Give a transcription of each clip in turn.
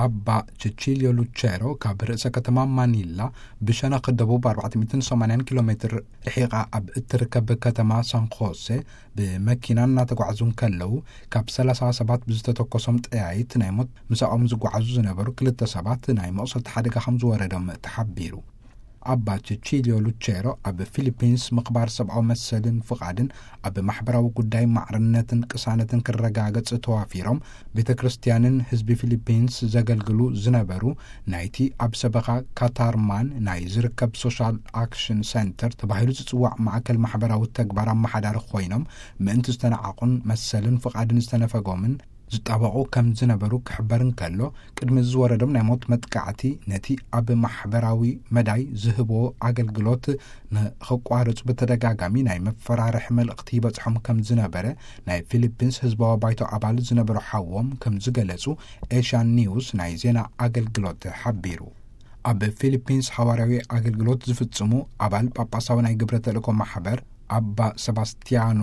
ኣባ ቸቺልዮ ሉቸሮ ካብ ርእሰ ከተማ ማኒላ ብሸነኽ ደቡብ ኣርባዕተ ሚእትን ሰማንያን ኪሎ ሜትር ርሒቓ ኣብ እትርከብ ከተማ ሳን ኾሴ ብመኪና እናተጓዕዙ እንከለዉ፣ ካብ ሰላሳ ሰባት ብዝተተኮሶም ጠያይት ናይ ሞት ምሳኦም ዝጓዓዙ ዝነበሩ ክልተ ሰባት ናይ መቑሰልቲ ሓደጋ ከም ዝወረዶም ተሓቢሩ። ኣባ ቸቺልዮ ሉቸሮ ኣብ ፊሊፒንስ ምኽባር ሰብኣዊ መሰልን ፍቓድን ኣብ ማሕበራዊ ጉዳይ ማዕርነትን ቅሳነትን ክረጋገጽ ተዋፊሮም፣ ቤተ ክርስቲያንን ህዝቢ ፊሊፒንስ ዘገልግሉ ዝነበሩ ናይቲ ኣብ ሰበኻ ካታርማን ናይ ዝርከብ ሶሻል ኣክሽን ሰንተር ተባሂሉ ዝጽዋዕ ማእከል ማሕበራዊ ተግባር ኣመሓዳሪ ኮይኖም፣ ምእንቲ ዝተናዓቑን መሰልን ፍቓድን ዝተነፈጎምን ዝጣበቑ ከም ዝነበሩ ክሕበር እንከሎ፣ ቅድሚ ዝወረዶም ናይ ሞት መጥቃዕቲ ነቲ ኣብ ማሕበራዊ መዳይ ዝህቦ ኣገልግሎት ንኸቋርጹ ብተደጋጋሚ ናይ መፈራርሒ መልእኽቲ ይበጽሖም ከም ዝነበረ ናይ ፊሊፒንስ ህዝባዊ ባይቶ ኣባል ዝነበሩ ሓዎም ከም ዝገለጹ ኤሽያን ኒውስ ናይ ዜና ኣገልግሎት ሓቢሩ። ኣብ ፊሊፒንስ ሓዋርያዊ ኣገልግሎት ዝፍጽሙ ኣባል ጳጳሳዊ ናይ ግብረ ተልእኮ ማሕበር ኣባ ሰባስቲያኖ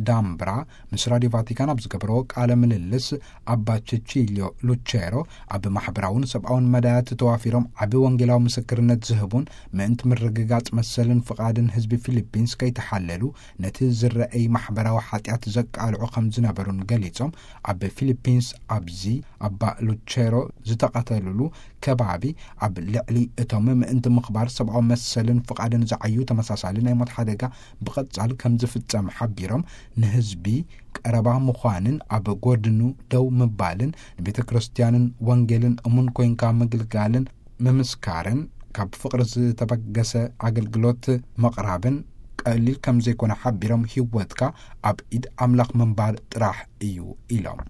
ዳምብራ ምስ ራዲዮ ቫቲካን ኣብ ዝገበርዎ ቃለ ምልልስ፣ ኣባ ቸቺልዮ ሉቸሮ ኣብ ማሕበራውን ሰብኣውን መዳያት ተዋፊሮም ዓቢ ወንጌላዊ ምስክርነት ዝህቡን ምእንቲ ምርግጋጽ መሰልን ፍቓድን ህዝቢ ፊሊፒንስ ከይተሓለሉ ነቲ ዝረኣይ ማሕበራዊ ሓጢኣት ዘቃልዑ ከም ዝነበሩን ገሊጾም፣ ኣብ ፊሊፒንስ ኣብዚ ኣባ ሉቸሮ ዝተቐተልሉ ከባቢ ኣብ ልዕሊ እቶም ምእንቲ ምኽባር ሰብኣዊ መሰልን ፍቓድን ዝዓዩ ተመሳሳሊ ናይ ሞት ሓደጋ ብቐጻል ከም ዝፍጸም ሓቢሮም፣ ንህዝቢ ቀረባ ምዃንን ኣብ ጎድኑ ደው ምባልን ንቤተ ክርስቲያንን ወንጌልን እሙን ኮይንካ ምግልጋልን ምምስካርን ካብ ፍቕሪ ዝተበገሰ ኣገልግሎት ምቕራብን ቀሊል ከም ዘይኮነ ሓቢሮም፣ ህይወትካ ኣብ ኢድ ኣምላኽ ምንባር ጥራሕ እዩ ኢሎም።